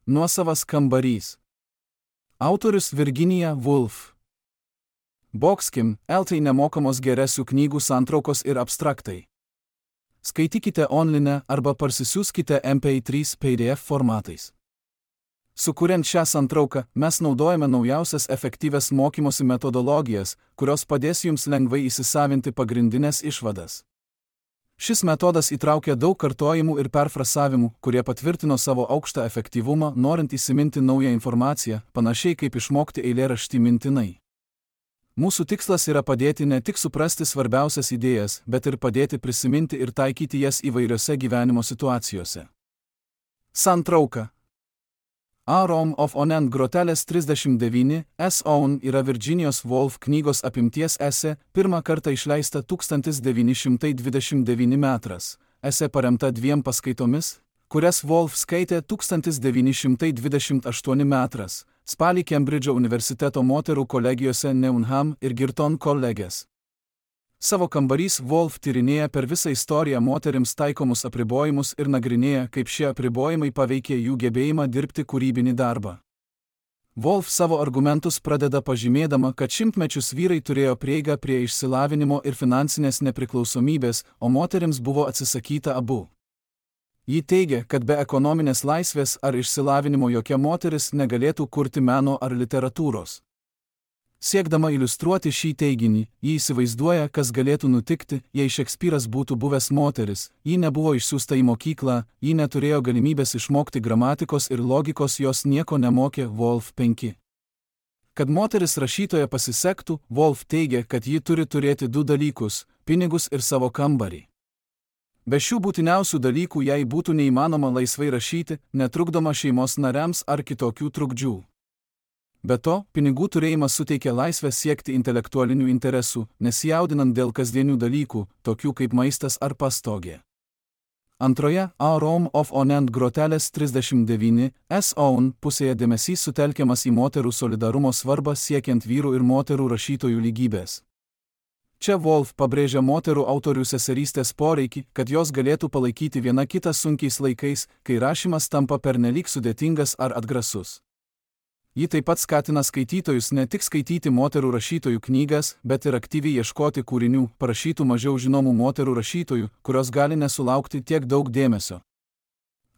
Nuosavas kambarys. Autorius Virginia Woolf. Boxkim, LT nemokamos geresių knygų santraukos ir abstraktai. Skaitykite online arba parsisiųskite MP3 PDF formatais. Sukuriant šią santrauką, mes naudojame naujausias efektyvias mokymosi metodologijas, kurios padės jums lengvai įsisavinti pagrindinės išvadas. Šis metodas įtraukia daug kartojimų ir perfrasavimų, kurie patvirtino savo aukštą efektyvumą, norint įsiminti naują informaciją, panašiai kaip išmokti eilėraštį mintinai. Mūsų tikslas yra padėti ne tik suprasti svarbiausias idėjas, bet ir padėti prisiminti ir taikyti jas įvairiose gyvenimo situacijose. Santrauka. A Rome of Onen grotelės 39, S. Owen yra Virginios Woolf knygos apimties esė, pirmą kartą išleista 1929 metras. Esė paremta 2 paskaitomis, kurias Woolf skaitė 1928 metras, spalį Kembridžo universiteto moterų kolegijose Newnham ir Girton kolegės. Savo kambarys Woolf tyrinėja per visą istoriją moterims taikomus apribojimus ir nagrinėja, kaip šie apribojimai paveikė jų gebėjimą dirbti kūrybinį darbą. Woolf savo argumentus pradeda pažymėdama, kad šimtmečius vyrai turėjo prieigą prie išsilavinimo ir finansinės nepriklausomybės, o moterims buvo atsisakyta abu. Ji teigia, kad be ekonominės laisvės ar išsilavinimo jokia moteris negalėtų kurti meno ar literatūros. Siekdama iliustruoti šį teiginį, ji įsivaizduoja, kas galėtų nutikti, jei Šekspyras būtų buvęs moteris. Ji nebuvo išsiųsta į mokyklą, ji neturėjo galimybės išmokti gramatikos ir logikos, jos nieko nemokė. Woolf 5. Kad moteris rašytoja pasisektų, Woolf teigia, kad ji turi turėti 2 dalykus – pinigus ir savo kambarį. Be šių būtiniausių dalykų jai būtų neįmanoma laisvai rašyti, netrukdoma šeimos nariams ar kitokių trukdžių. Be to, pinigų turėjimas suteikia laisvę siekti intelektualinių interesų, nesijaudinant dėl kasdienių dalykų, tokių kaip maistas ar pastogė. Antroje, A Rome of Onen grotelės 39, S. Owen pusėje dėmesys sutelkiamas į moterų solidarumo svarbą siekiant vyrų ir moterų rašytojų lygybės. Čia Woolf pabrėžia moterų autorių seserystės poreikį, kad jos galėtų palaikyti viena kitą sunkiais laikais, kai rašymas tampa pernelyg sudėtingas ar atgrasus. Ji taip pat skatina skaitytojus ne tik skaityti moterų rašytojų knygas, bet ir aktyviai ieškoti kūrinių, parašytų mažiau žinomų moterų rašytojų, kurios gali nesulaukti tiek daug dėmesio.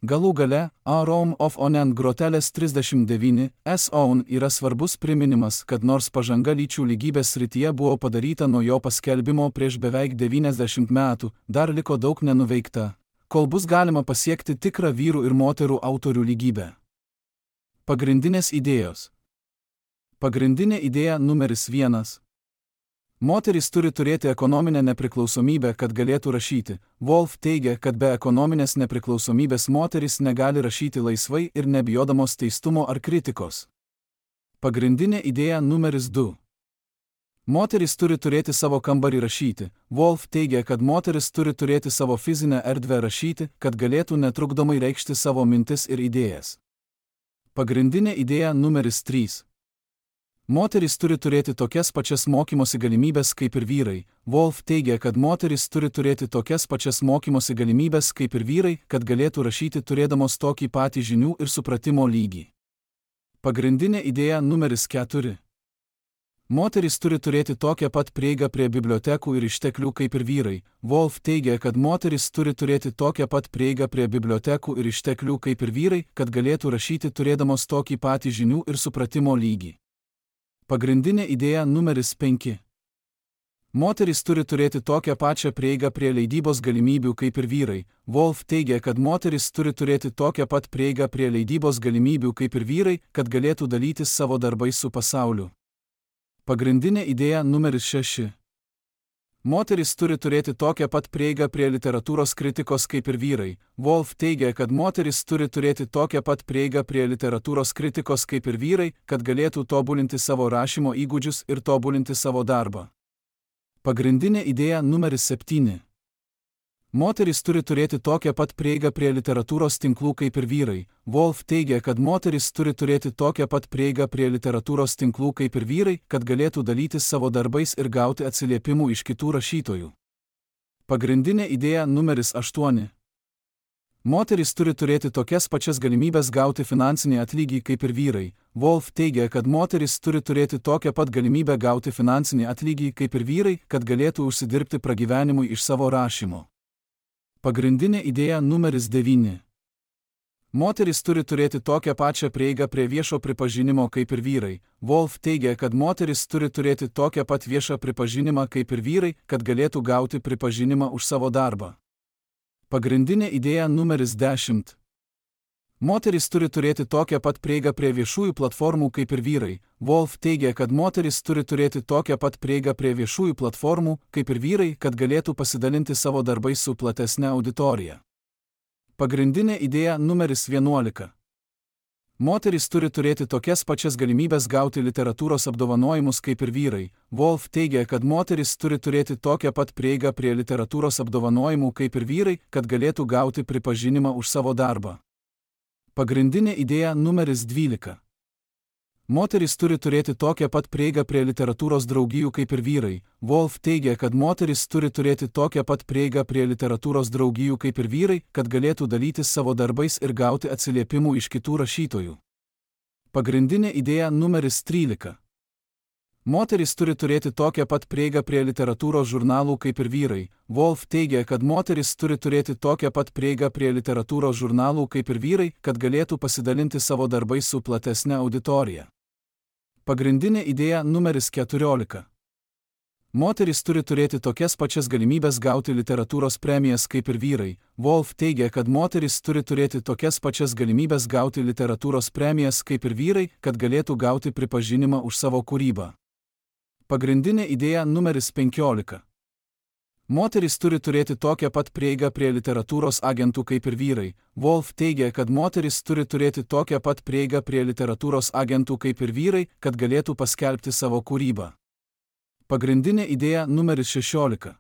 Galų gale, A Rome of Onen grotelės 39, S. Owen yra svarbus priminimas, kad nors pažanga lyčių lygybės srityje buvo padaryta nuo jo paskelbimo prieš beveik 90 metų, dar liko daug nenuveikta, kol bus galima pasiekti tikrą vyrų ir moterų autorių lygybę. Pagrindinės idėjos. Pagrindinė idėja numeris 1. Moterys turi turėti ekonominę nepriklausomybę, kad galėtų rašyti. Woolf teigia, kad be ekonominės nepriklausomybės moterys negali rašyti laisvai ir nebijodamos teistumo ar kritikos. Pagrindinė idėja numeris 2. Moterys turi turėti savo kambarį rašyti. Woolf teigia, kad moteris turi turėti savo fizinę erdvę rašyti, kad galėtų netrukdomai reikšti savo mintis ir idėjas. Pagrindinė idėja numeris 3. Moterys turi turėti tokias pačias mokymosi galimybės kaip ir vyrai. Woolf teigia, kad moterys turi turėti tokias pačias mokymosi galimybės kaip ir vyrai, kad galėtų rašyti turėdamos tokį patį žinių ir supratimo lygį. Pagrindinė idėja numeris 4. Moterys turi turėti tokią pat prieigą prie bibliotekų ir išteklių kaip ir vyrai. Woolf teigia, kad moterys turi turėti tokią pat prieigą prie bibliotekų ir išteklių kaip ir vyrai, kad galėtų rašyti turėdamos tokį patį žinių ir supratimo lygį. Pagrindinė idėja numeris 5. Moterys turi turėti tokią pačią prieigą prie leidybos galimybių kaip ir vyrai. Woolf teigia, kad moterys turi turėti tokią pat prieigą prie leidybos galimybių kaip ir vyrai, kad galėtų dalytis savo darbais su pasauliu. Pagrindinė idėja numeris 6. Moterys turi turėti tokią pat prieigą prie literatūros kritikos kaip ir vyrai. Woolf teigia, kad moterys turi turėti tokią pat prieigą prie literatūros kritikos kaip ir vyrai, kad galėtų tobulinti savo rašymo įgūdžius ir tobulinti savo darbą. Pagrindinė idėja numeris 7. Moterys turi turėti tokią pat prieigą prie literatūros tinklų kaip ir vyrai. Woolf teigia, kad moterys turi turėti tokią pat prieigą prie literatūros tinklų kaip ir vyrai, kad galėtų dalytis savo darbais ir gauti atsiliepimų iš kitų rašytojų. Pagrindinė idėja numeris 8. Moterys turi turėti tokias pačias galimybės gauti finansinį atlygį kaip ir vyrai. Wolf teigia, kad moterys turi turėti tokią pat galimybę gauti finansinį atlygį kaip ir vyrai, kad galėtų užsidirbti pragyvenimui iš savo rašymo. Pagrindinė idėja numeris 9. Moterys turi turėti tokią pačią prieigą prie viešo pripažinimo kaip ir vyrai. Wolf teigia, kad moterys turi turėti tokią pat viešą pripažinimą kaip ir vyrai, kad galėtų gauti pripažinimą už savo darbą. Pagrindinė idėja numeris 10. Moterys turi turėti tokią pat prieigą prie viešųjų platformų kaip ir vyrai. Wolf teigia, kad moterys turi turėti tokią pat prieigą prie viešųjų platformų kaip ir vyrai, kad galėtų pasidalinti savo darbais su platesne auditorija. Pagrindinė idėja numeris 11. Moterys turi turėti tokias pačias galimybės gauti literatūros apdovanojimus kaip ir vyrai. Wolf teigia, kad moterys turi turėti tokią pat prieigą prie literatūros apdovanojimų kaip ir vyrai, kad galėtų gauti pripažinimą už savo darbą. Pagrindinė idėja numeris 12. Moterys turi turėti tokią pat prieigą prie literatūros draugijų kaip ir vyrai. Wolf teigia, kad moterys turi turėti tokią pat prieigą prie literatūros draugijų kaip ir vyrai, kad galėtų dalytis savo darbais ir gauti atsiliepimų iš kitų rašytojų. Pagrindinė idėja numeris 13. Moterys turi turėti tokią pat prieigą prie literatūros žurnalų kaip ir vyrai. Wolf teigia, kad moterys turi turėti tokią pat prieigą prie literatūros žurnalų kaip ir vyrai, kad galėtų pasidalinti savo darbais su platesne auditorija. Pagrindinė idėja numeris 14. Moterys turi turėti tokias pačias galimybės gauti literatūros premijas kaip ir vyrai. Wolf teigia, kad moterys turi turėti tokias pačias galimybės gauti literatūros premijas kaip ir vyrai, kad galėtų gauti pripažinimą už savo kūrybą. Pagrindinė idėja numeris 15. Moterys turi turėti tokią pat prieigą prie literatūros agentų kaip ir vyrai. Wolf teigia, kad moterys turi turėti tokią pat prieigą prie literatūros agentų kaip ir vyrai, kad galėtų paskelbti savo kūrybą. Pagrindinė idėja numeris 16.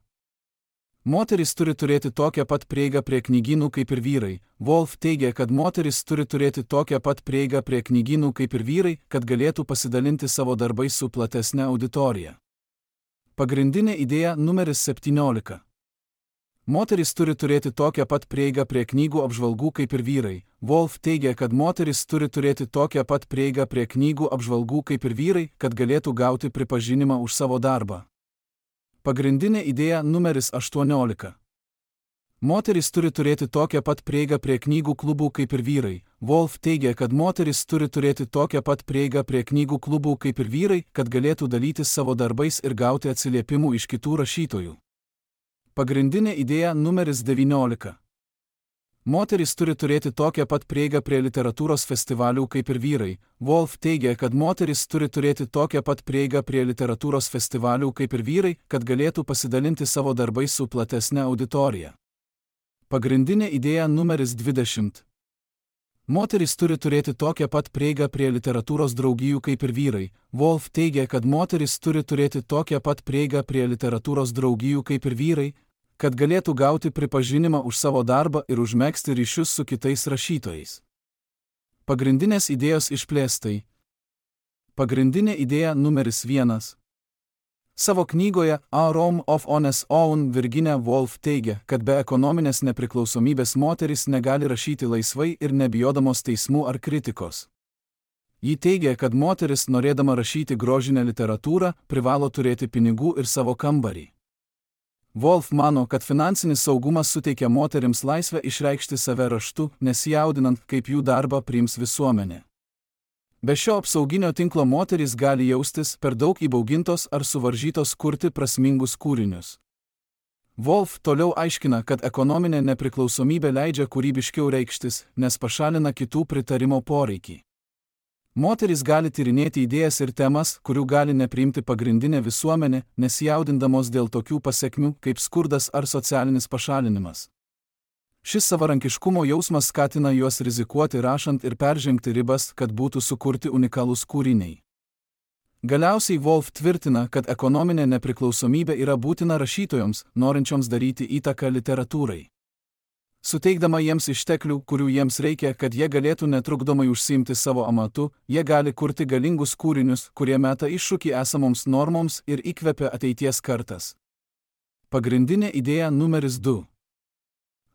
Moterys turi turėti tokią pat prieigą prie knygynų kaip ir vyrai. Wolf teigia, kad moterys turi turėti tokią pat prieigą prie knygynų kaip ir vyrai, kad galėtų pasidalinti savo darbais su platesne auditorija. Pagrindinė idėja numeris 17. Moterys turi turėti tokią pat prieigą prie knygų apžvalgų kaip ir vyrai. Wolf teigia, kad moterys turi turėti tokią pat prieigą prie knygų apžvalgų kaip ir vyrai, kad galėtų gauti pripažinimą už savo darbą. Pagrindinė idėja numeris 18. Moterys turi turėti tokią pat prieigą prie knygų klubų kaip ir vyrai. Wolf teigia, kad moterys turi turėti tokią pat prieigą prie knygų klubų kaip ir vyrai, kad galėtų dalytis savo darbais ir gauti atsiliepimų iš kitų rašytojų. Pagrindinė idėja numeris 19. Moterys turi turėti tokią pat prieigą prie literatūros festivalių kaip ir vyrai. Wolf teigia, kad moterys turi turėti tokią pat prieigą prie literatūros festivalių kaip ir vyrai, kad galėtų pasidalinti savo darbais su platesne auditorija. Pagrindinė idėja numeris 20. Moterys turi turėti tokią pat prieigą prie literatūros draugijų kaip ir vyrai. Wolf teigia, kad moterys turi turėti tokią pat prieigą prie literatūros draugijų kaip ir vyrai, kad galėtų gauti pripažinimą už savo darbą ir užmegzti ryšius su kitais rašytojais. Pagrindinės idėjos išplėstai. Pagrindinė idėja numeris 1. Savo knygoje A Rome of Honest Own Virginia Woolf teigia, kad be ekonominės nepriklausomybės moterys negali rašyti laisvai ir nebijodamos teismų ar kritikos. Ji teigia, kad moteris, norėdama rašyti grožinę literatūrą, privalo turėti pinigų ir savo kambarį. Woolf mano, kad finansinis saugumas suteikia moterims laisvę išreikšti save raštu, nesijaudinant, kaip jų darbą priims visuomenė. Be šio apsauginio tinklo moterys gali jaustis per daug įbaugintos ar suvaržytos kurti prasmingus kūrinius. Woolf toliau aiškina, kad ekonominė nepriklausomybė leidžia kūrybiškiau reikštis, nes pašalina kitų pritarimo poreikį. Moterys gali tyrinėti idėjas ir temas, kurių gali nepriimti pagrindinė visuomenė, nesijaudindamos dėl tokių pasekmių kaip skurdas ar socialinis pašalinimas. Šis savarankiškumo jausmas skatina juos rizikuoti rašant ir peržengti ribas, kad būtų sukurti unikalūs kūriniai. Galiausiai Woolf tvirtina, kad ekonominė nepriklausomybė yra būtina rašytojoms, norinčioms daryti įtaką literatūrai. Suteikdama jiems išteklių, kurių jiems reikia, kad jie galėtų netrukdomai užsiimti savo amatu, jie gali kurti galingus kūrinius, kurie meta iššūkį esamoms normoms ir įkvepia ateities kartas. Pagrindinė idėja numeris 2.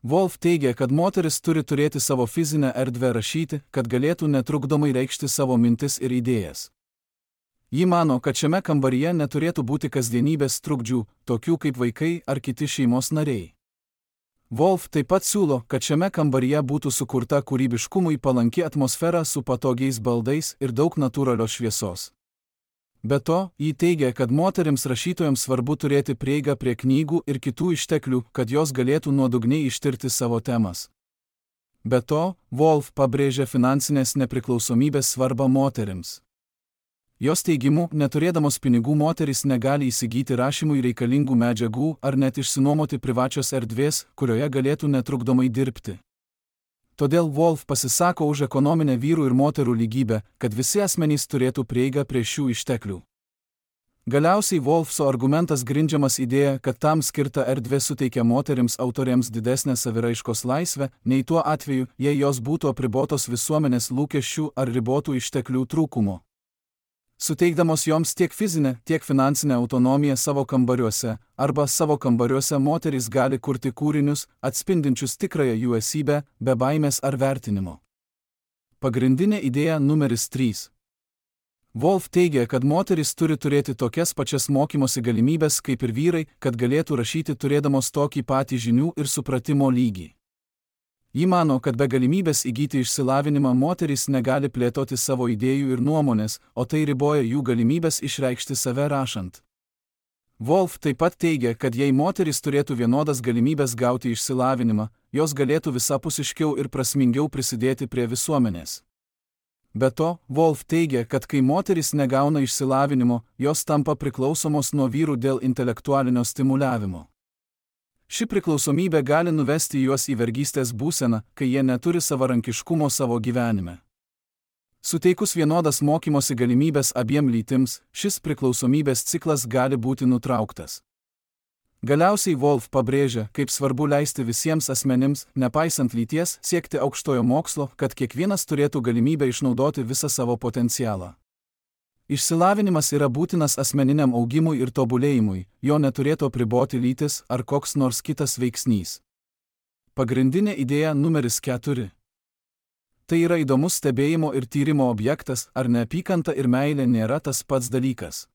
Wolf teigia, kad moteris turi turėti savo fizinę erdvę rašyti, kad galėtų netrukdomai reikšti savo mintis ir idėjas. Ji mano, kad šiame kambaryje neturėtų būti kasdienybės trukdžių, tokių kaip vaikai ar kiti šeimos nariai. Wolf taip pat siūlo, kad šiame kambaryje būtų sukurta kūrybiškumui palanki atmosfera su patogiais baldais ir daug natūralios šviesos. Be to, ji teigia, kad moterims rašytojams svarbu turėti prieigą prie knygų ir kitų išteklių, kad jos galėtų nuodugniai ištirti savo temas. Be to, Wolf pabrėžia finansinės nepriklausomybės svarbą moterims. Jos teigimu, neturėdamos pinigų moterys negali įsigyti rašymui reikalingų medžiagų ar net išsinuomoti privačios erdvės, kurioje galėtų netrukdomai dirbti. Todėl Wolf pasisako už ekonominę vyrų ir moterų lygybę, kad visi asmenys turėtų prieigą prie šių išteklių. Galiausiai Wolfso argumentas grindžiamas idėja, kad tam skirta erdvė suteikia moterims autoriams didesnę saviraiškos laisvę, nei tuo atveju, jei jos būtų apribotos visuomenės lūkesčių ar ribotų išteklių trūkumo. Suteikdamos joms tiek fizinę, tiek finansinę autonomiją savo kambariuose, arba savo kambariuose moterys gali kurti kūrinius, atspindinčius tikrąją jų esybę, be baimės ar vertinimo. Pagrindinė idėja numeris 3. Wolf teigia, kad moterys turi turėti tokias pačias mokymosi galimybės kaip ir vyrai, kad galėtų rašyti turėdamos tokį patį žinių ir supratimo lygį. Ji mano, kad be galimybės įgyti išsilavinimą moterys negali plėtoti savo idėjų ir nuomonės, o tai riboja jų galimybės išreikšti save rašant. Wolf taip pat teigia, kad jei moterys turėtų vienodas galimybės gauti išsilavinimą, jos galėtų visapusiškiau ir prasmingiau prisidėti prie visuomenės. Be to, Wolf teigia, kad kai moterys negauna išsilavinimo, jos tampa priklausomos nuo vyrų dėl intelektualinio stimuliavimo. Ši priklausomybė gali nuvesti juos į vergystės būseną, kai jie neturi savarankiškumo savo gyvenime. Suteikus vienodas mokymosi galimybės abiem lytims, šis priklausomybės ciklas gali būti nutrauktas. Galiausiai Wolf pabrėžia, kaip svarbu leisti visiems asmenims, nepaisant lyties, siekti aukštojo mokslo, kad kiekvienas turėtų galimybę išnaudoti visą savo potencialą. Išsilavinimas yra būtinas asmeniniam augimui ir tobulėjimui, jo neturėtų apriboti lytis ar koks nors kitas veiksnys. Pagrindinė idėja numeris 4. Tai yra įdomus stebėjimo ir tyrimo objektas, ar neapykanta ir meilė nėra tas pats dalykas.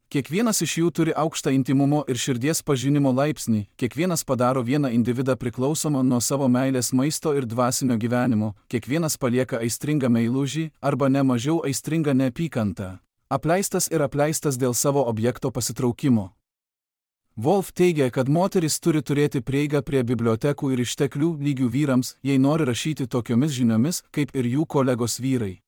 Kiekvienas iš jų turi aukštą intymumo ir širdies pažinimo laipsnį, kiekvienas padaro vieną individą priklausomą nuo savo meilės maisto ir dvasinio gyvenimo, kiekvienas palieka aistringą meilužį arba ne mažiau aistringą neapykantą, apleistas ir apleistas dėl savo objekto pasitraukimo. Wolf teigia, kad moteris turi turėti prieigą prie bibliotekų ir išteklių lygių vyrams, jei nori rašyti tokiomis žiniomis, kaip ir jų kolegos vyrai.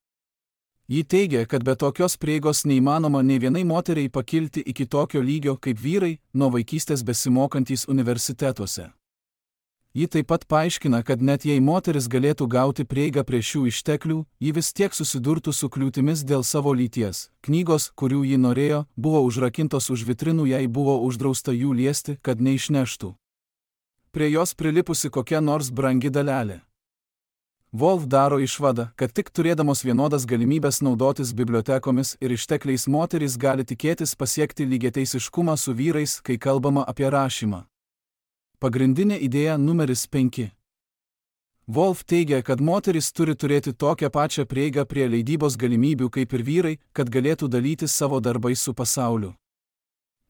Ji teigia, kad be tokios prieigos neįmanoma nei vienai moteriai pakilti iki tokio lygio kaip vyrai, nuo vaikystės besimokantys universitetuose. Ji taip pat paaiškina, kad net jei moteris galėtų gauti prieigą prie šių išteklių, ji vis tiek susidurtų su kliūtimis dėl savo lyties. Knygos, kurių ji norėjo, buvo užrakintos už vitrinų, jai buvo uždrausta jų liesti, kad neišneštų. Prie jos prilipusi kokia nors brangi dalelė. Wolf daro išvadą, kad tik turėdamos vienodas galimybės naudotis bibliotekomis ir ištekliais moterys gali tikėtis pasiekti lygiateisiškumą su vyrais, kai kalbama apie rašymą. Pagrindinė idėja numeris 5. Wolf teigia, kad moterys turi turėti tokią pačią prieigą prie leidybos galimybių kaip ir vyrai, kad galėtų dalytis savo darbais su pasauliu.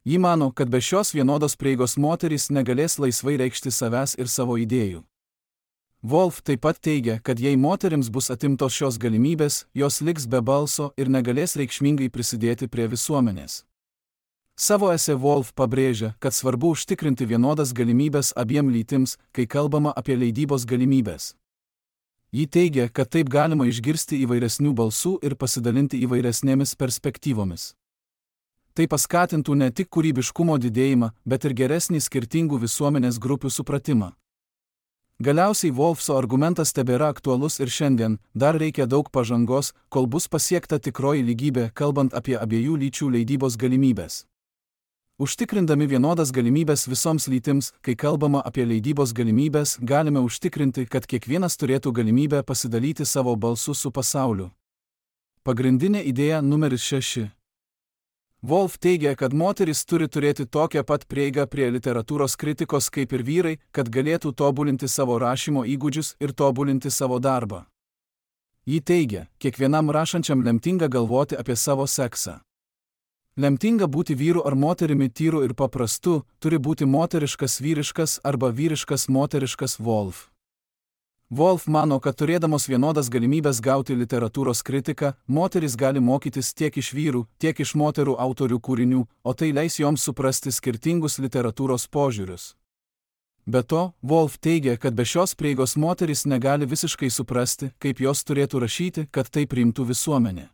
Ji mano, kad be šios vienodos prieigos moterys negalės laisvai reikšti savęs ir savo idėjų. Wolf taip pat teigia, kad jei moterims bus atimtos šios galimybės, jos liks be balso ir negalės reikšmingai prisidėti prie visuomenės. Savo esė Wolf pabrėžia, kad svarbu užtikrinti vienodas galimybės abiem lytims, kai kalbama apie leidybos galimybės. Ji teigia, kad taip galima išgirsti įvairesnių balsų ir pasidalinti įvairesnėmis perspektyvomis. Tai paskatintų ne tik kūrybiškumo didėjimą, bet ir geresnį skirtingų visuomenės grupių supratimą. Galiausiai Wolfso argumentas tebėra aktualus ir šiandien, dar reikia daug pažangos, kol bus pasiekta tikroji lygybė, kalbant apie abiejų lyčių leidybos galimybės. Užtikrindami vienodas galimybės visoms lytims, kai kalbama apie leidybos galimybės, galime užtikrinti, kad kiekvienas turėtų galimybę pasidalyti savo balsu su pasauliu. Pagrindinė idėja numeris 6. Wolf teigia, kad moterys turi turėti tokią pat prieigą prie literatūros kritikos kaip ir vyrai, kad galėtų tobulinti savo rašymo įgūdžius ir tobulinti savo darbą. Ji teigia, kiekvienam rašančiam lemtinga galvoti apie savo seksą. Lemtinga būti vyru ar moterimi tyru ir paprastu, turi būti moteriškas vyriškas arba vyriškas moteriškas Wolf. Wolf mano, kad turėdamos vienodas galimybės gauti literatūros kritiką, moterys gali mokytis tiek iš vyrų, tiek iš moterų autorių kūrinių, o tai leis joms suprasti skirtingus literatūros požiūrius. Be to, Wolf teigia, kad be šios prieigos moterys negali visiškai suprasti, kaip jos turėtų rašyti, kad tai priimtų visuomenė.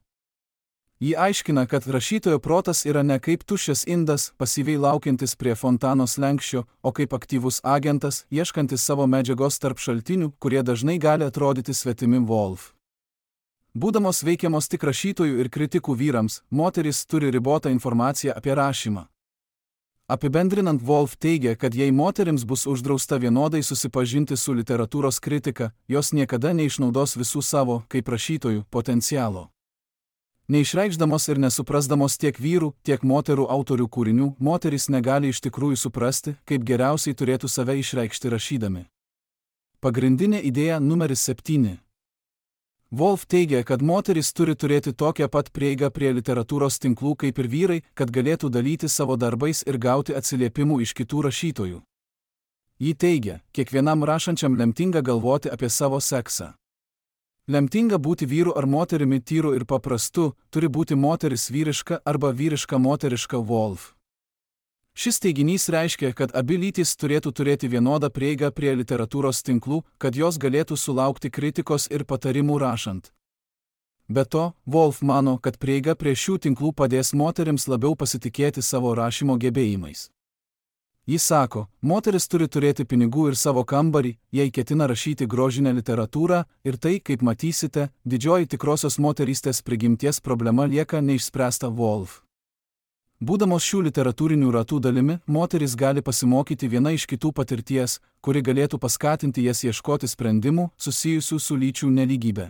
Ji aiškina, kad rašytojo protas yra ne kaip tuščias indas, pasyviai laukiantis prie fontano slenksčio, o kaip aktyvus agentas, ieškantis savo medžiagos tarp šaltinių, kurie dažnai gali atrodyti svetimi Wolf. Būdamos veikiamos tik rašytojų ir kritikų vyrams, moterys turi ribotą informaciją apie rašymą. Apibendrinant, Wolf teigia, kad jei moterims bus uždrausta vienodai susipažinti su literatūros kritika, jos niekada neišnaudos visų savo, kaip rašytojų, potencialo. Neišreikšdamos ir nesuprasdamos tiek vyrų, tiek moterų autorių kūrinių, moterys negali iš tikrųjų suprasti, kaip geriausiai turėtų save išreikšti rašydami. Pagrindinė idėja numeris 7. Wolf teigia, kad moterys turi turėti tokią pat prieigą prie literatūros tinklų kaip ir vyrai, kad galėtų dalyti savo darbais ir gauti atsiliepimų iš kitų rašytojų. Ji teigia, kiekvienam rašančiam lemtinga galvoti apie savo seksą. Lemtinga būti vyru ar moterimi tyru ir paprastu, turi būti moteris vyriška arba vyriška moteriška Wolf. Šis teiginys reiškia, kad abi lytys turėtų turėti vienodą prieigą prie literatūros tinklų, kad jos galėtų sulaukti kritikos ir patarimų rašant. Be to, Wolf mano, kad prieiga prie šių tinklų padės moterims labiau pasitikėti savo rašymo gebėjimais. Jis sako, moteris turi turėti pinigų ir savo kambarį, jei ketina rašyti grožinę literatūrą, ir tai, kaip matysite, didžioji tikrosios moterystės prigimties problema lieka neišspręsta Wolf. Būdamos šių literatūrinių ratų dalimi, moteris gali pasimokyti viena iš kitų patirties, kuri galėtų paskatinti jas ieškoti sprendimų susijusių su lyčių nelygybė.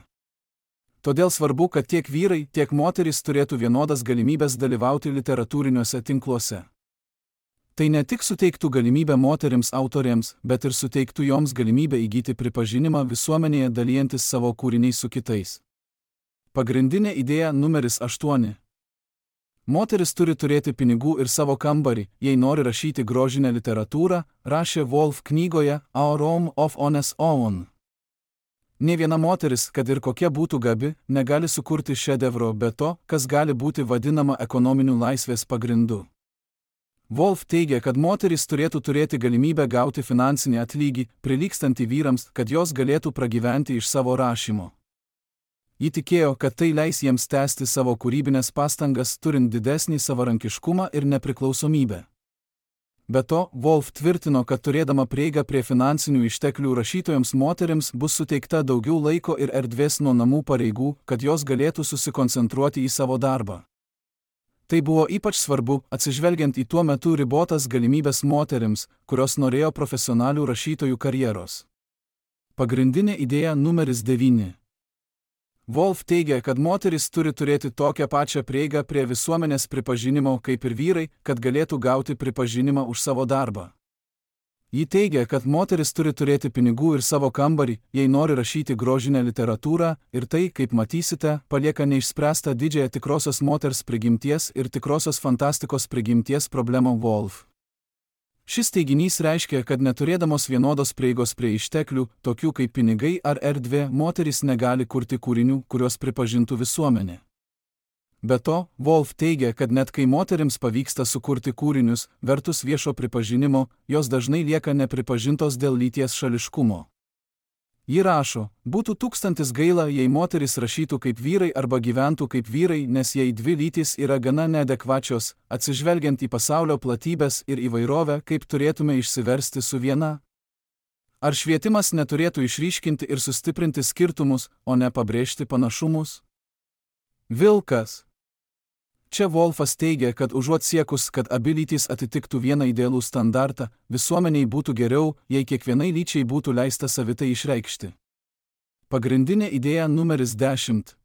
Todėl svarbu, kad tiek vyrai, tiek moterys turėtų vienodas galimybės dalyvauti literatūriniuose tinkluose. Tai ne tik suteiktų galimybę moterims autorėms, bet ir suteiktų joms galimybę įgyti pripažinimą visuomenėje dalijantis savo kūriniais su kitais. Pagrindinė idėja numeris 8. Moteris turi turėti pinigų ir savo kambarį, jei nori rašyti grožinę literatūrą, rašė Wolf knygoje Our Home of Honest Own. Nė viena moteris, kad ir kokia būtų gabi, negali sukurti šedevro be to, kas gali būti vadinama ekonominiu laisvės pagrindu. Wolf teigia, kad moterys turėtų turėti galimybę gauti finansinį atlygį, prilygstantį vyrams, kad jos galėtų pragyventi iš savo rašymo. Ji tikėjo, kad tai leis jiems tęsti savo kūrybinės pastangas, turint didesnį savarankiškumą ir nepriklausomybę. Be to, Wolf tvirtino, kad turėdama prieigą prie finansinių išteklių rašytojams moterims bus suteikta daugiau laiko ir erdvės nuo namų pareigų, kad jos galėtų susikoncentruoti į savo darbą. Tai buvo ypač svarbu, atsižvelgiant į tuo metu ribotas galimybės moterims, kurios norėjo profesionalių rašytojų karjeros. Pagrindinė idėja numeris 9. Wolf teigia, kad moteris turi turėti tokią pačią prieigą prie visuomenės pripažinimo kaip ir vyrai, kad galėtų gauti pripažinimą už savo darbą. Ji teigia, kad moteris turi turėti pinigų ir savo kambarį, jei nori rašyti grožinę literatūrą, ir tai, kaip matysite, palieka neišspręstą didžiąją tikrosios moters prigimties ir tikrosios fantastikos prigimties problemą Wolf. Šis teiginys reiškia, kad neturėdamos vienodos prieigos prie išteklių, tokių kaip pinigai ar erdvė, moteris negali kurti kūrinių, kuriuos pripažintų visuomenė. Be to, Wolf teigia, kad net kai moterims pavyksta sukurti kūrinius, vertus viešo pripažinimo, jos dažnai lieka nepripažintos dėl lyties šališkumo. Ji rašo, būtų 1000 gaila, jei moteris rašytų kaip vyrai arba gyventų kaip vyrai, nes jei dvi lytys yra gana neadekvačios, atsižvelgiant į pasaulio platybės ir įvairovę, kaip turėtume išsiversti su viena. Ar švietimas neturėtų išryškinti ir sustiprinti skirtumus, o ne pabrėžti panašumus? Vilkas. Čia Wolfas teigia, kad užuot siekus, kad abi lytys atitiktų vieną idealų standartą, visuomeniai būtų geriau, jei kiekvienai lyčiai būtų leista savitai išreikšti. Pagrindinė idėja numeris 10.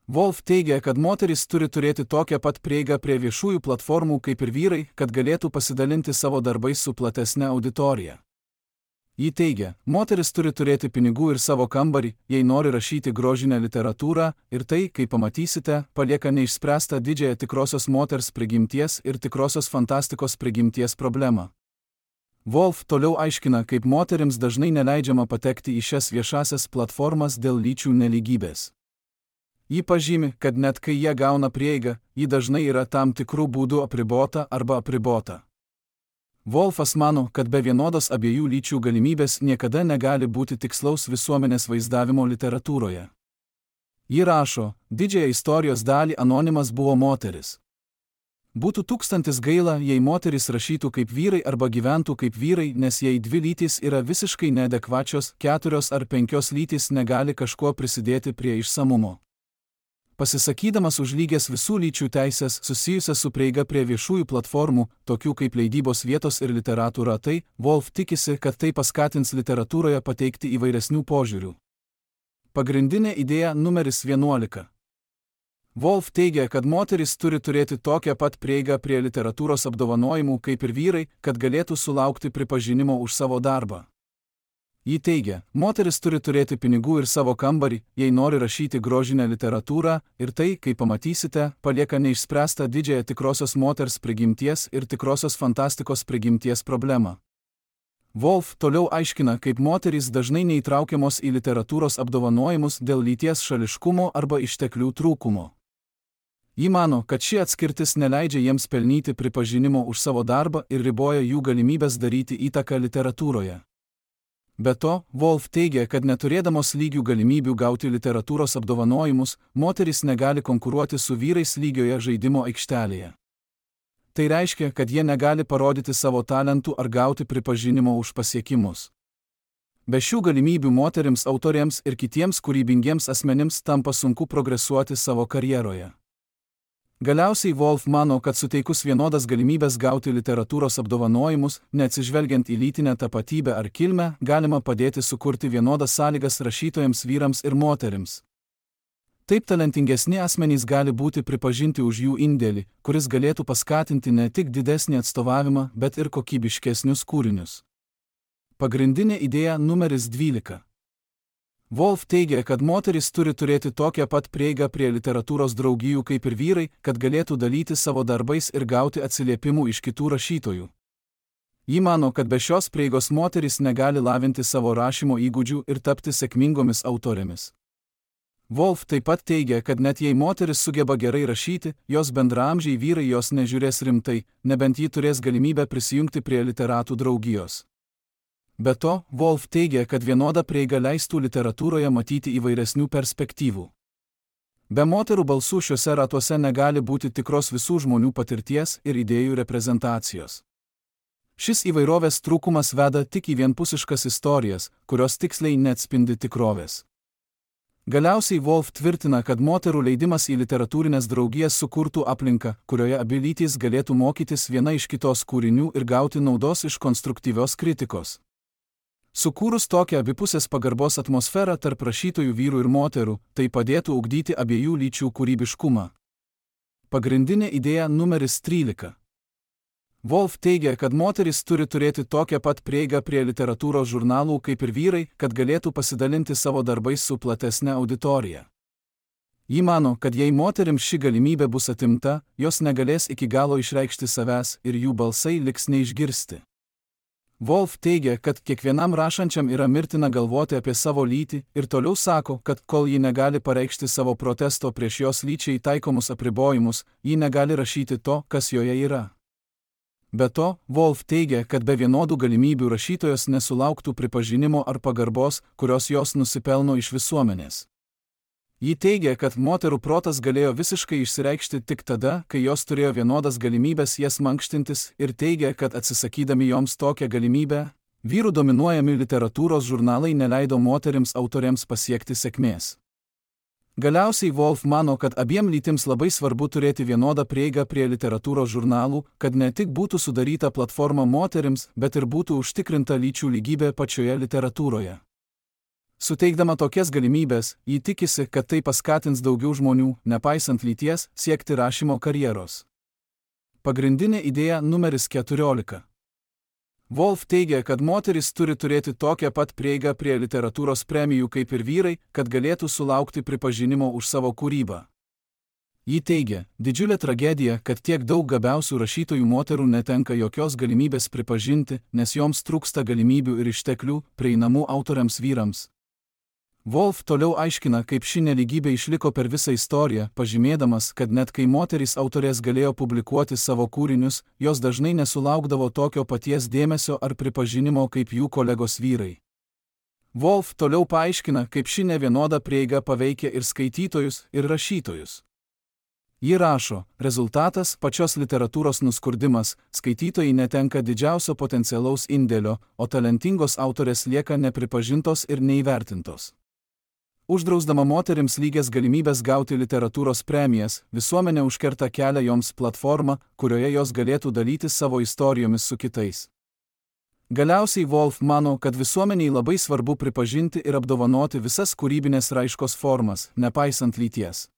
Wolf teigia, kad moterys turi turėti tokią pat prieigą prie viešųjų platformų kaip ir vyrai, kad galėtų pasidalinti savo darbais su platesne auditorija. Ji teigia, moteris turi turėti pinigų ir savo kambarį, jei nori rašyti grožinę literatūrą, ir tai, kaip pamatysite, palieka neišspręstą didžiąją tikrosios moters prigimties ir tikrosios fantastikos prigimties problemą. Wolf toliau aiškina, kaip moterims dažnai neleidžiama patekti į šias viešasias platformas dėl lyčių nelygybės. Ji pažymi, kad net kai jie gauna prieigą, ji dažnai yra tam tikrų būdų apribota arba apribota. Wolfas mano, kad be vienodos abiejų lyčių galimybės niekada negali būti tikslaus visuomenės vaizdavimo literatūroje. Ji rašo, didžiąją istorijos dalį anonimas buvo moteris. Būtų tūkstantis gaila, jei moteris rašytų kaip vyrai arba gyventų kaip vyrai, nes jei dvi lytys yra visiškai neadekvačios, 4 ar 5 lytys negali kažkuo prisidėti prie išsamumo. Pasisakydamas už lygias visų lyčių teisės susijusias su prieiga prie viešųjų platformų, tokių kaip leidybos vietos ir literatų ratai, Wolf tikisi, kad tai paskatins literatūroje pateikti įvairesnių požiūrių. Pagrindinė idėja numeris 11. Wolf teigia, kad moterys turi turėti tokią pat prieigą prie literatūros apdovanojimų kaip ir vyrai, kad galėtų sulaukti pripažinimo už savo darbą. Ji teigia, moteris turi turėti pinigų ir savo kambarį, jei nori rašyti grožinę literatūrą, ir tai, kaip pamatysite, palieka neišspręstą didžiąją tikrosios moters prigimties ir tikrosios fantastikos prigimties problemą. Wolf toliau aiškina, kaip moterys dažnai neįtraukiamos į literatūros apdovanojimus dėl lyties šališkumo arba išteklių trūkumo. Ji mano, kad ši atskirtis neleidžia jiems pelnyti pripažinimo už savo darbą ir riboja jų galimybės daryti įtaką literatūroje. Be to, Wolf teigia, kad neturėdamos lygių galimybių gauti literatūros apdovanojimus, moterys negali konkuruoti su vyrais lygioje žaidimo aikštelėje. Tai reiškia, kad jie negali parodyti savo talentų ar gauti pripažinimo už pasiekimus. Be šių galimybių moterims, autoriams ir kitiems kūrybingiems asmenims tampa sunku progresuoti savo karjeroje. Galiausiai Wolf mano, kad suteikus vienodas galimybės gauti literatūros apdovanojimus, neatsižvelgiant į lytinę tapatybę ar kilmę, galima padėti sukurti vienodas sąlygas rašytojams vyrams ir moterims. Taip talentingesni asmenys gali būti pripažinti už jų indėlį, kuris galėtų paskatinti ne tik didesnį atstovavimą, bet ir kokybiškesnius kūrinius. Pagrindinė idėja numeris 12. Wolf teigia, kad moteris turi turėti tokią pat prieigą prie literatūros draugijų kaip ir vyrai, kad galėtų dalyti savo darbais ir gauti atsiliepimų iš kitų rašytojų. Ji mano, kad be šios prieigos moteris negali lavinti savo rašymo įgūdžių ir tapti sėkmingomis autorėmis. Wolf taip pat teigia, kad net jei moteris sugeba gerai rašyti, jos bendraamžiai vyrai jos nežiūrės rimtai, nebent ji turės galimybę prisijungti prie literatų draugijos. Be to, Wolf teigia, kad vienoda prieiga leistų literatūroje matyti įvairesnių perspektyvų. Be moterų balsų šiuose ratuose negali būti tikros visų žmonių patirties ir idėjų reprezentacijos. Šis įvairovės trūkumas veda tik į vienpusiškas istorijas, kurios tiksliai neatspindi tikrovės. Galiausiai Wolf tvirtina, kad moterų leidimas į literatūrinės draugijas sukurtų aplinką, kurioje abi lytys galėtų mokytis viena iš kitos kūrinių ir gauti naudos iš konstruktyvios kritikos. Sukūrus tokią abipusės pagarbos atmosferą tarp rašytojų vyrų ir moterų, tai padėtų ugdyti abiejų lyčių kūrybiškumą. Pagrindinė idėja numeris 13. Wolf teigia, kad moteris turi turėti tokią pat prieigą prie literatūros žurnalų kaip ir vyrai, kad galėtų pasidalinti savo darbais su platesne auditorija. Ji mano, kad jei moterims ši galimybė bus atimta, jos negalės iki galo išreikšti savęs ir jų balsai liks neišgirsti. Wolf teigia, kad kiekvienam rašančiam yra mirtina galvoti apie savo lytį ir toliau sako, kad kol ji negali pareikšti savo protesto prieš jos lyčiai taikomus apribojimus, ji negali rašyti to, kas joje yra. Be to, Wolf teigia, kad be vienodų galimybių rašytojos nesulauktų pripažinimo ar pagarbos, kurios jos nusipelno iš visuomenės. Ji teigia, kad moterų protas galėjo visiškai išsireikšti tik tada, kai jos turėjo vienodas galimybės jas mankštintis ir teigia, kad atsisakydami joms tokią galimybę, vyrų dominuojami literatūros žurnalai neleido moterims autoriams pasiekti sėkmės. Galiausiai Wolf mano, kad abiem lytims labai svarbu turėti vienodą prieigą prie literatūros žurnalų, kad ne tik būtų sudaryta platforma moterims, bet ir būtų užtikrinta lyčių lygybė pačioje literatūroje. Suteikdama tokias galimybės, ji tikisi, kad tai paskatins daugiau žmonių, nepaisant lyties, siekti rašymo karjeros. Pagrindinė idėja numeris 14. Woolf teigia, kad moterys turi turėti tokią pat prieigą prie literatūros premijų kaip ir vyrai, kad galėtų sulaukti pripažinimo už savo kūrybą. Ji teigia, didžiulė tragedija, kad tiek daug gabiausių rašytojų moterų netenka jokios galimybės pripažinti, nes joms trūksta galimybių ir išteklių, prieinamų autoriams vyrams. Woolf toliau aiškina, kaip ši nelygybė išliko per visą istoriją, pažymėdamas, kad net kai moterys autorės galėjo publikuoti savo kūrinius, jos dažnai nesulaukdavo tokio paties dėmesio ar pripažinimo kaip jų kolegos vyrai. Woolf toliau paaiškina, kaip ši nevienoda prieiga paveikia ir skaitytojus, ir rašytojus. Ji rašo, rezultatas – pačios literatūros nuskurdimas, skaitytojai netenka didžiausio potencialaus indėlio, o talentingos autorės lieka nepripažintos ir neįvertintos. Uždrausdama moterims lygias galimybės gauti literatūros premijas, visuomenė užkerta kelią joms platformą, kurioje jos galėtų dalytis savo istorijomis su kitais. Galiausiai Woolf mano, kad visuomeniai labai svarbu pripažinti ir apdovanoti visas kūrybinės raiškos formas, nepaisant lyties.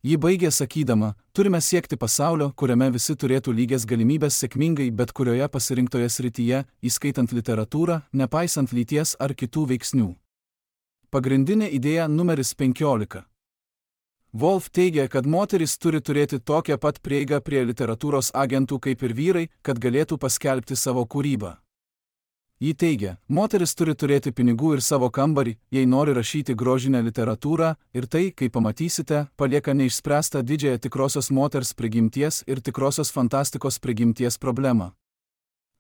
Ji baigė sakydama, turime siekti pasaulio, kuriame visi turėtų lygias galimybės sėkmingai bet kurioje pasirinktoje srityje, įskaitant literatūrą, nepaisant lyties ar kitų veiksnių. Pagrindinė idėja numeris 15. Woolf teigia, kad moteris turi turėti tokią pat prieigą prie literatūros agentų kaip ir vyrai, kad galėtų paskelbti savo kūrybą. Ji teigia, moteris turi turėti pinigų ir savo kambarį, jei nori rašyti grožinę literatūrą, ir tai, kaip pamatysite, palieka neišspręstą didžiąją tikrosios moters prigimties ir tikrosios fantastikos prigimties problemą.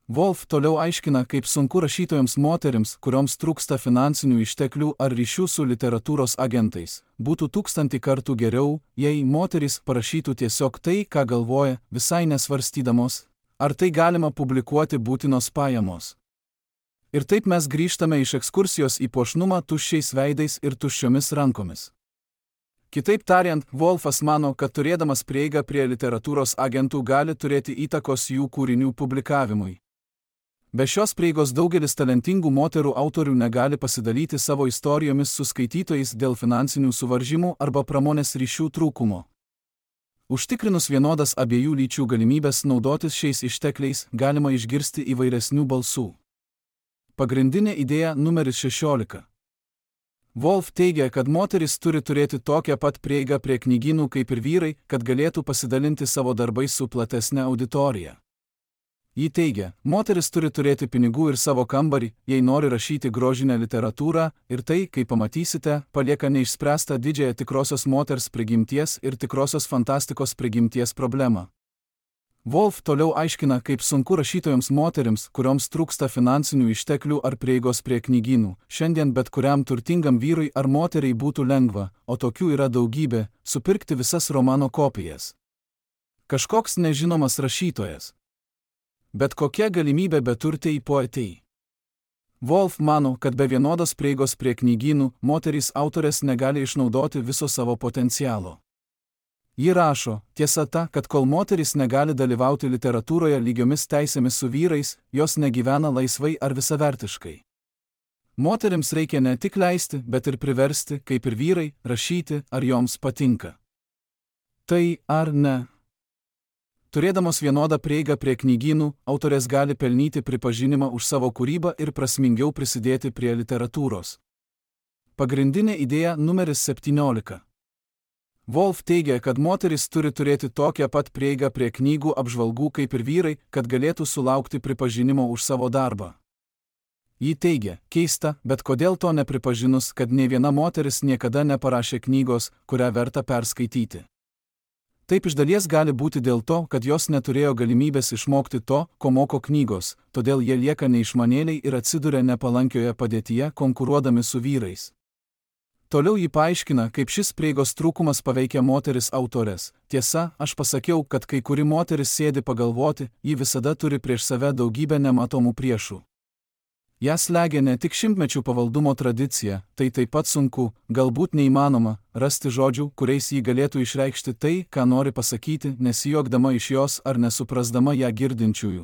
Woolf toliau aiškina, kaip sunku rašytojams moterims, kurioms trūksta finansinių išteklių ar ryšių su literatūros agentais. Būtų 1000 kartų geriau, jei moterys parašytų tiesiog tai, ką galvoja, visai nesvarstydamos, ar tai galima publikuoti būtinos pajamos. Ir taip mes grįžtame iš ekskursijos į puošnumą tuščiais veidais ir tuščiomis rankomis. Kitaip tariant, Woolfas mano, kad turėdamas prieigą prie literatūros agentų gali turėti įtakos jų kūrinių publikavimui. Be šios prieigos daugelis talentingų moterų autorių negali pasidalyti savo istorijomis su skaitytojais dėl finansinių suvaržymų arba pramonės ryšių trūkumo. Užtikrinus vienodas abiejų lyčių galimybės naudotis šiais ištekliais, galima išgirsti įvairesnių balsų. Pagrindinė idėja numeris 16. Woolf teigia, kad moteris turi turėti tokią pat prieigą prie knygynų kaip ir vyrai, kad galėtų pasidalinti savo darbais su platesne auditorija. Ji teigia, moteris turi turėti pinigų ir savo kambarį, jei nori rašyti grožinę literatūrą, ir tai, kaip pamatysite, palieka neišspręstą didžiąją tikrosios moters prigimties ir tikrosios fantastikos prigimties problemą. Woolf toliau aiškina, kaip sunku rašytojams moterims, kurioms trūksta finansinių išteklių ar prieigos prie knygynų, šiandien bet kuriam turtingam vyrui ar moteriai būtų lengva, o tokių yra daugybė, supirkti visas romano kopijas. Kažkoks nežinomas rašytojas. Bet kokia galimybė beturtei poetei. Woolf mano, kad be vienodos prieigos prie knygynų, moterys autorės negali išnaudoti viso savo potencialo. Ji rašo, tiesa ta, kad kol moteris negali dalyvauti literatūroje lygiomis teisėmis su vyrais, jos negyvena laisvai ar visavertiškai. Moterims reikia ne tik leisti, bet ir priversti, kaip ir vyrai, rašyti, ar joms patinka. Tai ar ne? Turėdamos vienodą prieigą prie knygynų, autorės gali pelnyti pripažinimą už savo kūrybą ir prasmingiau prisidėti prie literatūros. Pagrindinė idėja numeris 17. Woolf teigia, kad moteris turi turėti tokią pat prieigą prie knygų apžvalgų kaip ir vyrai, kad galėtų sulaukti pripažinimo už savo darbą. Ji teigia, keista, bet kodėl to nepripažinus, kad nė viena moteris niekada neparašė knygos, kurią verta perskaityti. Taip iš dalies gali būti dėl to, kad jos neturėjo galimybės išmokti to, ko moko knygos, todėl jie lieka neišmanėliai ir atsiduria nepalankioje padėtyje, konkuruodami su vyrais. Toliau ji paaiškina, kaip šis prieigos trūkumas paveikia moteris autores. Tiesa, aš pasakiau, kad kai kuri moteris sėdi pagalvoti, ji visada turi prieš save daugybę nematomų priešų. Jas slegia ne tik šimtmečių pavaldumo tradicija, tai taip pat sunku, galbūt neįmanoma, rasti žodžių, kuriais ji galėtų išreikšti tai, ką nori pasakyti, nesijuokdama iš jos ar nesuprasdama ją girdinčiųjų.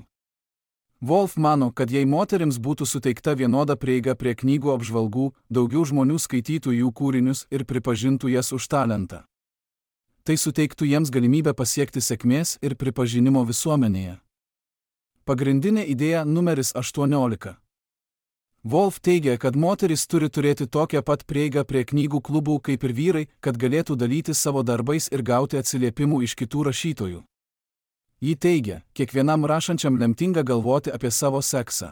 Wolf mano, kad jei moterims būtų suteikta vienoda prieiga prie knygų apžvalgų, daugiau žmonių skaitytų jų kūrinius ir pripažintų jas už talentą. Tai suteiktų jiems galimybę pasiekti sėkmės ir pripažinimo visuomenėje. Pagrindinė idėja numeris 18. Wolf teigia, kad moterys turi turėti tokią pat prieigą prie knygų klubų kaip ir vyrai, kad galėtų dalytis savo darbais ir gauti atsiliepimų iš kitų rašytojų. Ji teigia, kiekvienam rašančiam lemtinga galvoti apie savo seksą.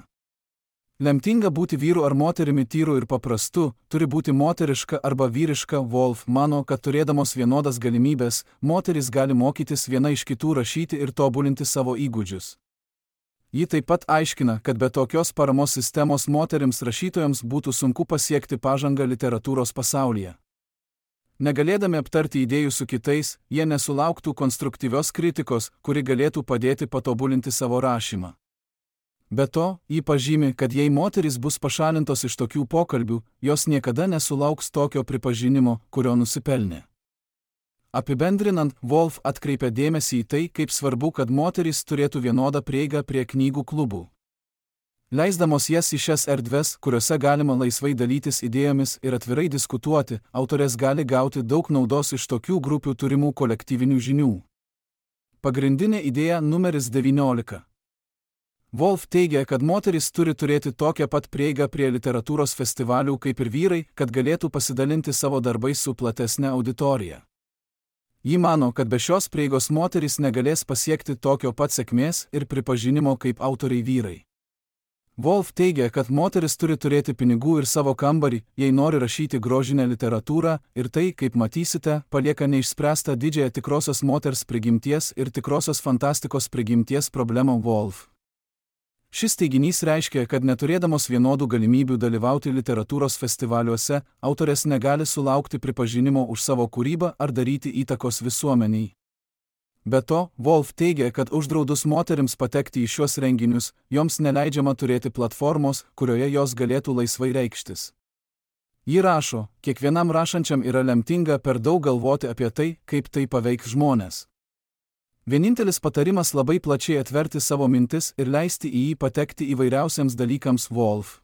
Lemtinga būti vyru ar moterimi tyru ir paprastu, turi būti moteriška arba vyriška. Wolf mano, kad turėdamos vienodas galimybės, moterys gali mokytis viena iš kitų rašyti ir tobulinti savo įgūdžius. Ji taip pat aiškina, kad be tokios paramos sistemos moterims rašytojams būtų sunku pasiekti pažangą literatūros pasaulyje. Negalėdami aptarti idėjų su kitais, jie nesulauktų konstruktyvios kritikos, kuri galėtų padėti patobulinti savo rašymą. Be to, ji pažymi, kad jei moterys bus pašalintos iš tokių pokalbių, jos niekada nesulauks tokio pripažinimo, kurio nusipelnė. Apibendrinant, Wolf atkreipia dėmesį į tai, kaip svarbu, kad moterys turėtų vienodą prieigą prie knygų klubų. Leisdamos jas į šias erdves, kuriuose galima laisvai dalytis idėjomis ir atvirai diskutuoti, autorės gali gauti daug naudos iš tokių grupių turimų kolektyvinių žinių. Pagrindinė idėja numeris 19. Wolf teigia, kad moterys turi turėti tokią pat prieigą prie literatūros festivalių kaip ir vyrai, kad galėtų pasidalinti savo darbais su platesne auditorija. Ji mano, kad be šios prieigos moterys negalės pasiekti tokio pat sėkmės ir pripažinimo kaip autoriai vyrai. Wolf teigia, kad moteris turi turėti pinigų ir savo kambarį, jei nori rašyti grožinę literatūrą, ir tai, kaip matysite, palieka neišspręstą didžiąją tikrosios moters prigimties ir tikrosios fantastikos prigimties problemą. Wolf. Šis teiginys reiškia, kad neturėdamos vienodų galimybių dalyvauti literatūros festivaliuose, autorės negali sulaukti pripažinimo už savo kūrybą ar daryti įtakos visuomeniai. Be to, Wolf teigia, kad uždraudus moterims patekti į šiuos renginius, joms neleidžiama turėti platformos, kurioje jos galėtų laisvai reikštis. Ji rašo, kiekvienam rašančiam yra lemtinga per daug galvoti apie tai, kaip tai paveiks žmones. Vienintelis patarimas labai plačiai atverti savo mintis ir leisti į jį patekti įvairiausiams dalykams. Wolf.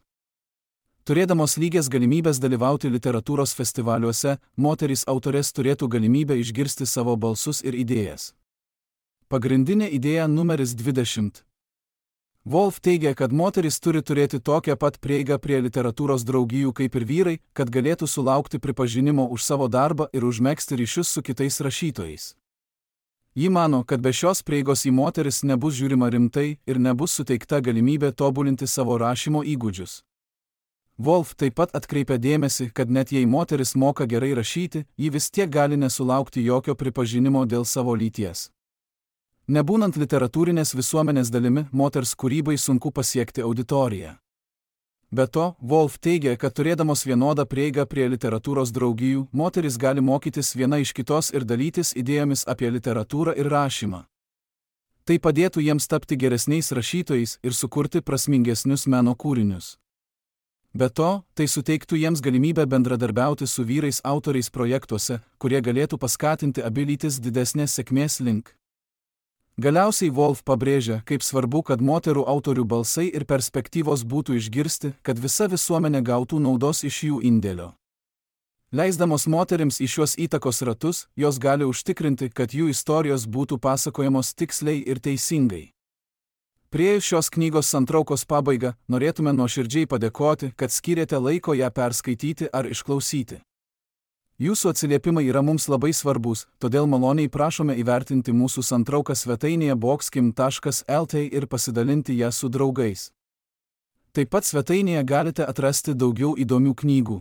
Turėdamos lygias galimybės dalyvauti literatūros festivaliuose, moterys autorės turėtų galimybę išgirsti savo balsus ir idėjas. Pagrindinė idėja numeris 20. Wolf teigia, kad moterys turi turėti tokią pat prieigą prie literatūros draugijų kaip ir vyrai, kad galėtų sulaukti pripažinimo už savo darbą ir užmegzti ryšius su kitais rašytojais. Ji mano, kad be šios prieigos į moteris nebus žiūrima rimtai ir nebus suteikta galimybė tobulinti savo rašymo įgūdžius. Wolf taip pat atkreipia dėmesį, kad net jei moteris moka gerai rašyti, ji vis tiek gali nesulaukti jokio pripažinimo dėl savo lyties. Nebūnant literatūrinės visuomenės dalimi, moters kūrybai sunku pasiekti auditoriją. Be to, Wolf teigia, kad turėdamos vienodą prieigą prie literatūros draugijų, moteris gali mokytis viena iš kitos ir dalytis idėjomis apie literatūrą ir rašymą. Tai padėtų jiems tapti geresniais rašytojais ir sukurti prasmingesnius meno kūrinius. Be to, tai suteiktų jiems galimybę bendradarbiauti su vyrais autoriais projektuose, kurie galėtų paskatinti abi lytis didesnės sėkmės link. Galiausiai Wolf pabrėžia, kaip svarbu, kad moterų autorių balsai ir perspektyvos būtų išgirsti, kad visa visuomenė gautų naudos iš jų indėlio. Leisdamos moterims į šiuos įtakos ratus, jos gali užtikrinti, kad jų istorijos būtų pasakojamos tiksliai ir teisingai. Priėjus šios knygos santraukos pabaigą, norėtume nuoširdžiai padėkoti, kad skyrėte laiko ją perskaityti ar išklausyti. Jūsų atsiliepimai yra mums labai svarbus, todėl maloniai prašome įvertinti mūsų santrauką svetainėje boxkim.lt ir pasidalinti ją su draugais. Taip pat svetainėje galite atrasti daugiau įdomių knygų.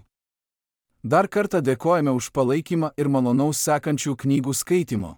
Dar kartą dėkojame už palaikymą ir malonaus sekančių knygų skaitimo.